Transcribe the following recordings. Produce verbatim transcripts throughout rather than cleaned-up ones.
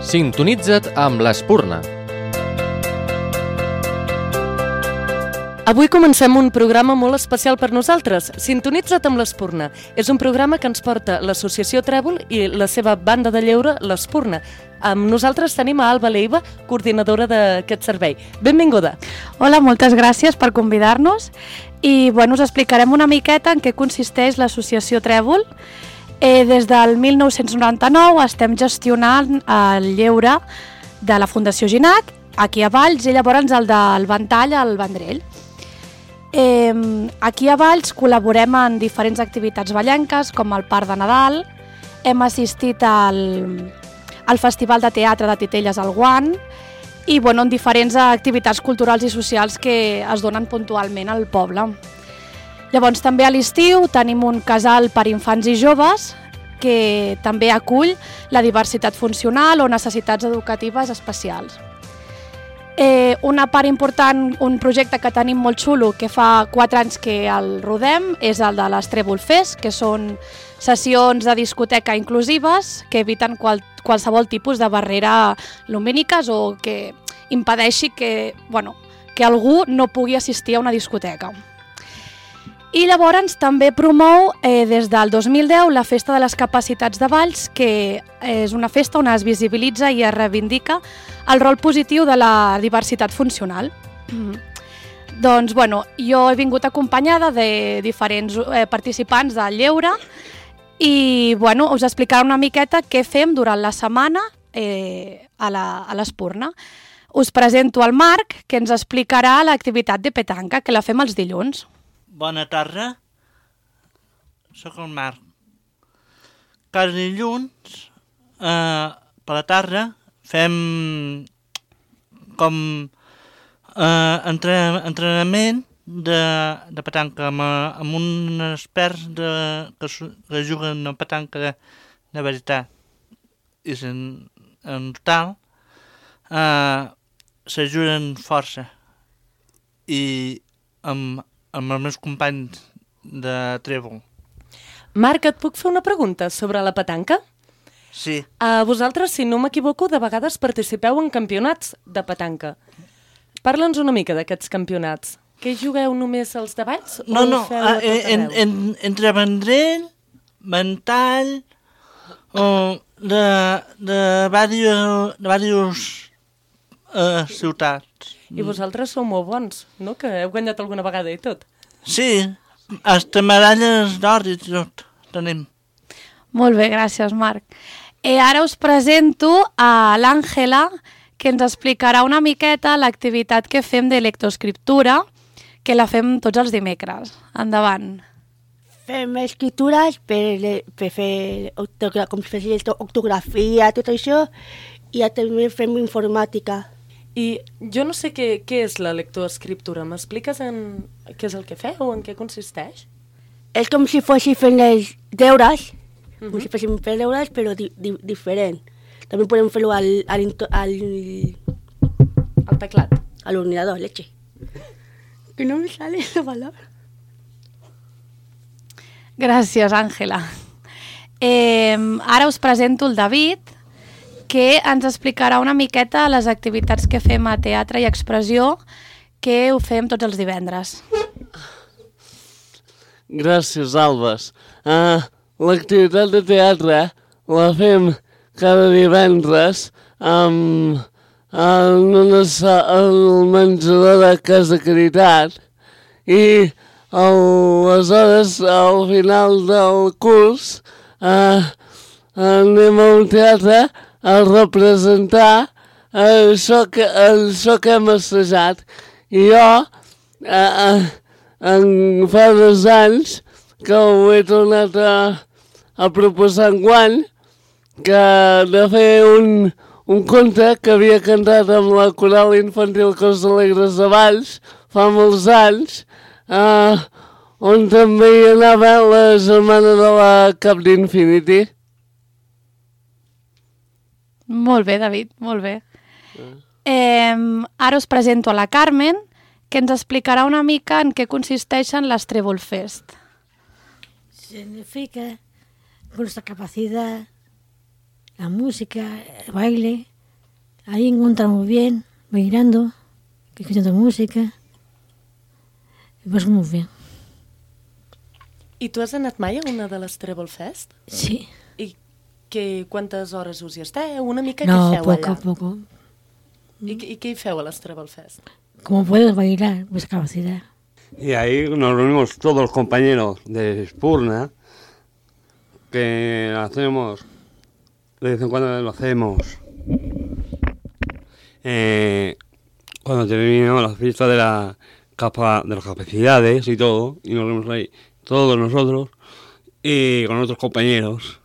Sintonitza't amb l'Espurna. Avui comencem un programa molt especial per nosaltres. Sintonitza't amb l'Espurna. És un programa que ens porta l'Associació Trèvol i la seva banda de lleure, l'Espurna. Amb nosaltres tenim a Alba Leiva, coordinadora d'aquest servei. Benvinguda. Hola, moltes gràcies per convidar-nos. I bueno, us explicarem una miqueta en què consisteix l'Associació Trèvol. Eh, des del mil nou-cents noranta-nou estem gestionant el lleure de la Fundació Ginac, aquí a Valls, i llavors el del Ventall al Vendrell. Eh, aquí a Valls col·laborem en diferents activitats vallenques, com el Parc de Nadal, hem assistit al, al Festival de Teatre de Titelles al Guant, i bueno, en diferents activitats culturals i socials que es donen puntualment al poble. Llavors també a l'estiu tenim un casal per infants i joves que també acull la diversitat funcional o necessitats educatives especials. Eh, una part important, un projecte que tenim molt xulo, que fa quatre anys que el rodem, és el de les Trèvol Fest, que són sessions de discoteca inclusives que eviten qual, qualsevol tipus de barrera lumíniques o que impedeixi que, bueno, que algú no pugui assistir a una discoteca. I llavors també promou eh, des del dos mil deu la Festa de les Capacitats de Valls, que és una festa on es visibilitza i es reivindica el rol positiu de la diversitat funcional. Doncs, bueno, jo he vingut acompanyada de diferents eh, participants del lleure i, bueno, us explicaré una miqueta què fem durant la setmana eh, a l'Espurna. Us presento el Marc, que ens explicarà l'activitat de petanca, que la fem els dilluns. Bona tarda, sóc el Marc. Cada dilluns, eh, per la tarda, fem com eh, entren entrenament de, de petanca amb, amb uns experts de, que, que juguen a petanca de, de veritat. I en, en total eh, s'ajuden força. I amb amb els meus companys de Trèvol. Marc, et puc fer una pregunta sobre la petanca? Sí. A vosaltres, si no m'equivoco, de vegades participeu en campionats de petanca. Parla'ns una mica d'aquests campionats. Que jugueu només els de Valls? No, no, en, en, entre Vendrell, Ventall, o de, de diversos, de diversos uh, ciutats. I vosaltres sou molt bons, no? Que heu guanyat alguna vegada i tot. Sí, hasta medalles d'or i tot tenim. Molt bé, gràcies, Marc. Eh, ara us presento a l'Àngela, que ens explicarà una miqueta l'activitat que fem de lectoescriptura, que la fem tots els dimecres. Endavant. Fem escritures per, per fer com si fes ortografia, tot això, i també fem informàtica. I jo no sé què, què és la lectoescriptura. M'expliques en què és el que feu o en què consisteix? És com si fossin fent els deures, uh-huh. com si féssim fer deures, però di, di, diferent. També podem fer-ho al, al, al, al teclat. A l'ordinador, leche. Que no me sale la palabra. Gràcies, Àngela. Eh, ara us presento el David, que ens explicarà una miqueta les activitats que fem a Teatre i Expressió, que ho fem tots els divendres. Gràcies, Albes. Uh, L'activitat de teatre la fem cada divendres amb, en una, el menjador de Casa Caritat i aleshores, al final del curs, uh, anem a un teatre a representar això que, això que hem assajat. I jo, eh, en fa dos anys, que ho he tornat a, a proposar enguany, que de fer un, un conte que havia cantat amb la coral infantil Cors Alegres de Valls fa molts anys, eh, on també hi anava la germana de la Cap d'Infinity. Molt bé, David, molt bé. Eh, ara us presento a la Carmen, que ens explicarà una mica en què consisteixen les Trèvol Fest. Significa nuestra capacidad, la música, el baile, ahí encontramos bien, bailando, escuchando música. Y pues muy bien. I tu has anat mai a una de les Trèvol Fest? Sí. I que, quantes hores us hi esteu? Una mica No, què feu poco, allà? poco. I, I què hi feu a les Trèvol Fest? Como puedes bailar, pues capacidad. Y ahí nos reunimos todos los compañeros de Spurna, que hacemos, de vez en cuando lo hacemos, eh, cuando terminamos la fiesta de, la capa, de las capacidades y todo, y nos reunimos ahí todos nosotros y con otros compañeros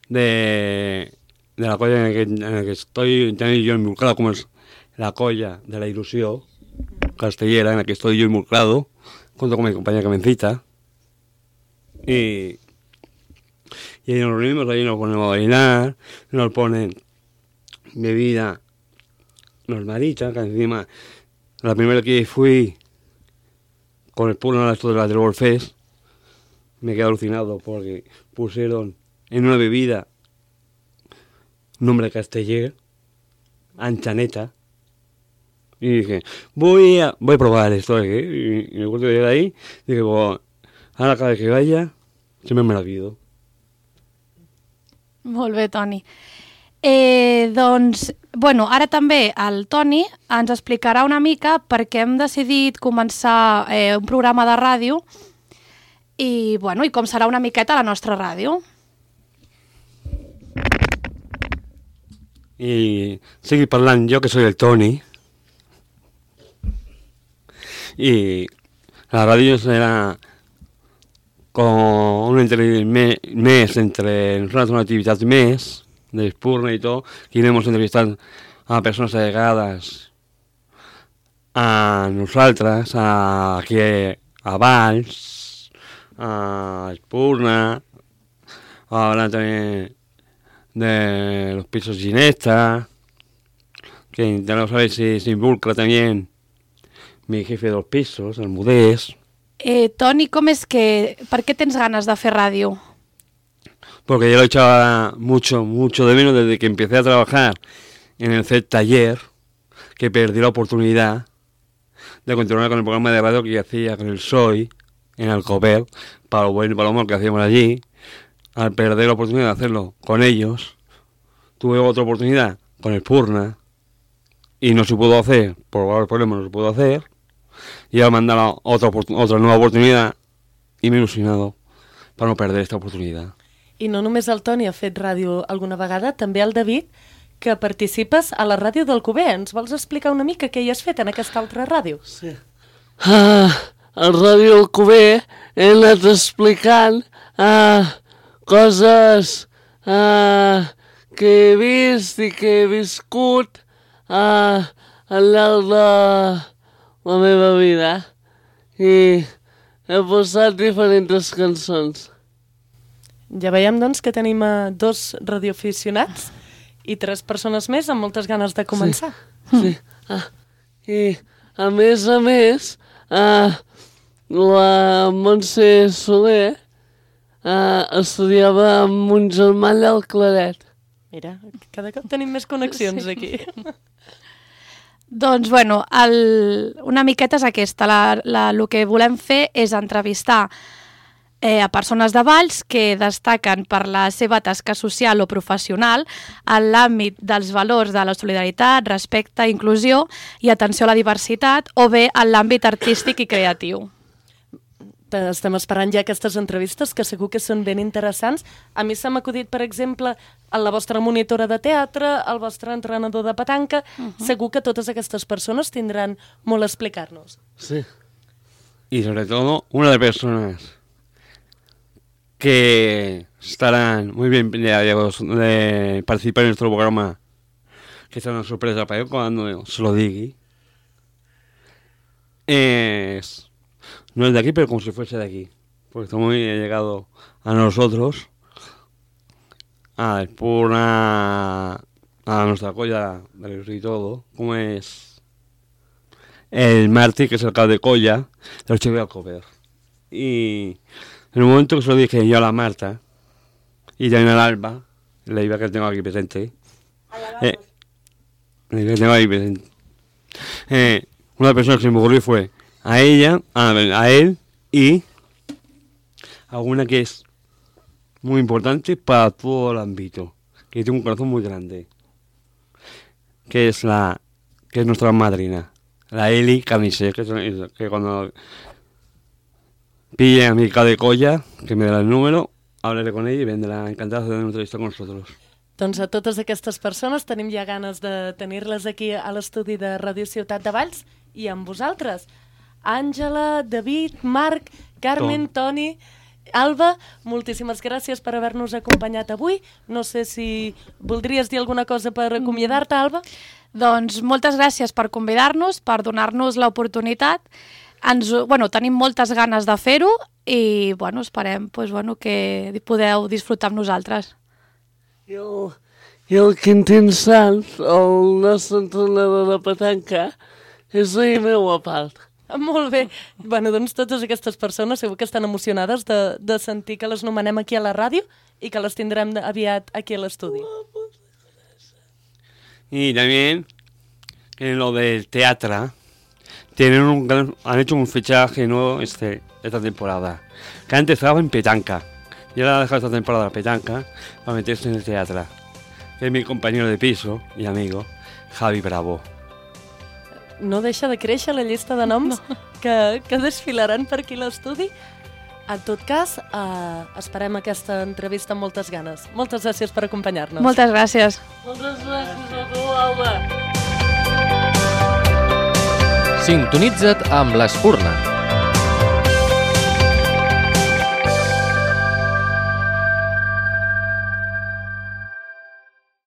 de, de la colla en la que, en la que estoy también yo involucrado, como es la colla de la ilusión castellera, en la que estoy yo involucrado, junto con mi compañera Carmencita. Y, y ahí nos reunimos, ahí nos ponemos a bailar, nos ponen bebida normalita, que encima la primera que fui con el puro esto de la Trèvol Fest, me quedé alucinado porque pusieron en una bebida nombre castellero, anchaneta, y dije, voy a, voy a probar esto, ¿eh? Y, y me acuerdo de ahí, dije, bueno, ahora cada vez que vaya, siempre me la pido. Molt bé, Toni. Eh, doncs, bueno, ara també el Toni ens explicarà una mica perquè hem decidit començar eh, un programa de ràdio i, bueno, i com serà una miqueta la nostra ràdio. Y seguir parlant yo, que soy el Toni. Y la radio serà com un mes entre nosaltres, una activitat més d'Espurna i tot, que iremos entrevistant a persones allegades a nosaltres, a, aquí a Valls, a Espurna, hablar también de los pisos Ginesta, que intentamos saber si se involucra también mi jefe de los pisos, el Mudés. Eh, Toni, com és que... Per què tens ganes de fer ràdio? Porque yo lo echaba mucho, mucho de menos desde que empecé a trabajar en el C E T Taller, que perdí la oportunidad de continuar con el programa de radio que hacía con el S O I en Alcover, para lo bueno y para lo malo que hacíamos allí. Al perder la oportunidad de hacerlo con ellos, tuve otra oportunidad con el Spurna y no se pudo hacer, por varios problemas no se pudo hacer, y ahora me han dado otra, otra nueva oportunidad y me he ilusionado para no perder esta oportunidad. I no només el Toni ha fet ràdio alguna vegada, també el David, que participes a la ràdio d'Alcover. Ens vols explicar una mica què hi has fet en aquesta altra ràdio? Sí. Ah, a Ràdio Alcover he anat explicant ah, coses ah, que he vist i que he viscut ah, al llarg de la meva vida. I he posat diferents cançons. Ja veiem, doncs, que tenim uh, dos radioaficionats i tres persones més amb moltes ganes de començar. Sí. sí. Ah, I, a més a més, ah, la Montse Soler ah, estudiava amb un germà allà al Claret. Mira, cada cop tenim més connexions sí. aquí. Doncs, bueno, el, una miqueta és aquesta. La, la, el que volem fer és entrevistar Eh, a persones de Valls que destaquen per la seva tasca social o professional en l'àmbit dels valors de la solidaritat, respecte, inclusió i atenció a la diversitat, o bé en l'àmbit artístic i creatiu. Estem esperant ja aquestes entrevistes que segur que són ben interessants. A mi s'ha acudit, per exemple, a la vostra monitora de teatre, el vostre entrenador de petanca. Uh-huh. Segur que totes aquestes persones tindran molt a explicar-nos. Sí. Y sobre todo, una de personas que estarán muy bien de, de participar en nuestro programa, que será una sorpresa para ellos cuando se lo diga. Es, no es de aquí, pero como si fuese de aquí, porque está muy llegado a nosotros, a Espurna, a nuestra colla y todo, como es el Martí, que es el alcalde de colla, del Chico de Alcover. Y en el momento que se lo dije yo a la Marta y también al Alba, la Iba que tengo aquí presente, eh, que tengo ahí presente. Eh, una de las personas que se me ocurrió fue a ella, a, a él y a una que es muy importante para todo el ámbito, que tiene un corazón muy grande, que es la que es nuestra madrina, la Eli Canisé, que, es, que cuando pille a mi de colla, que me dé el número, hablaré con ella i vendrà encantada de fer una entrevista con nosotros. Doncs a totes aquestes persones tenim ja ganes de tenir-les aquí a l'estudi de Ràdio Ciutat de Valls i amb vosaltres. Àngela, David, Marc, Carmen, Tom. Toni, Alba, moltíssimes gràcies per haver-nos acompanyat avui. No sé si voldries dir alguna cosa per acomiadar-te, Alba? Doncs moltes gràcies per convidar-nos, per donar-nos l'oportunitat. Ens, bueno, tenim moltes ganes de fer-ho i bueno, esperem pues, bueno, que podeu disfrutar amb nosaltres. I el, i el Quintín Sanz, el nostre entrenador de petanca, és veí meu a part. Molt bé. Bueno, doncs totes aquestes persones segur que estan emocionades de, de sentir que les nomenem aquí a la ràdio i que les tindrem aviat aquí a l'estudi. Y también en lo del teatro tienen un gran, han hecho un fichaje nuevo este, esta temporada, que antes estaba en petanca y ahora ha dejado esta temporada petanca para meterse en el teatro, que es mi compañero de piso y amigo Javi Bravo. No deixa de créixer la llista de noms no. que, que desfilaran per aquí a l'estudi. En tot cas, eh, esperem aquesta entrevista amb moltes ganes. Moltes gràcies per acompanyar-nos. Moltes gràcies. Moltes gràcies a tu, Alba. Sintonitza't amb l'Espurna.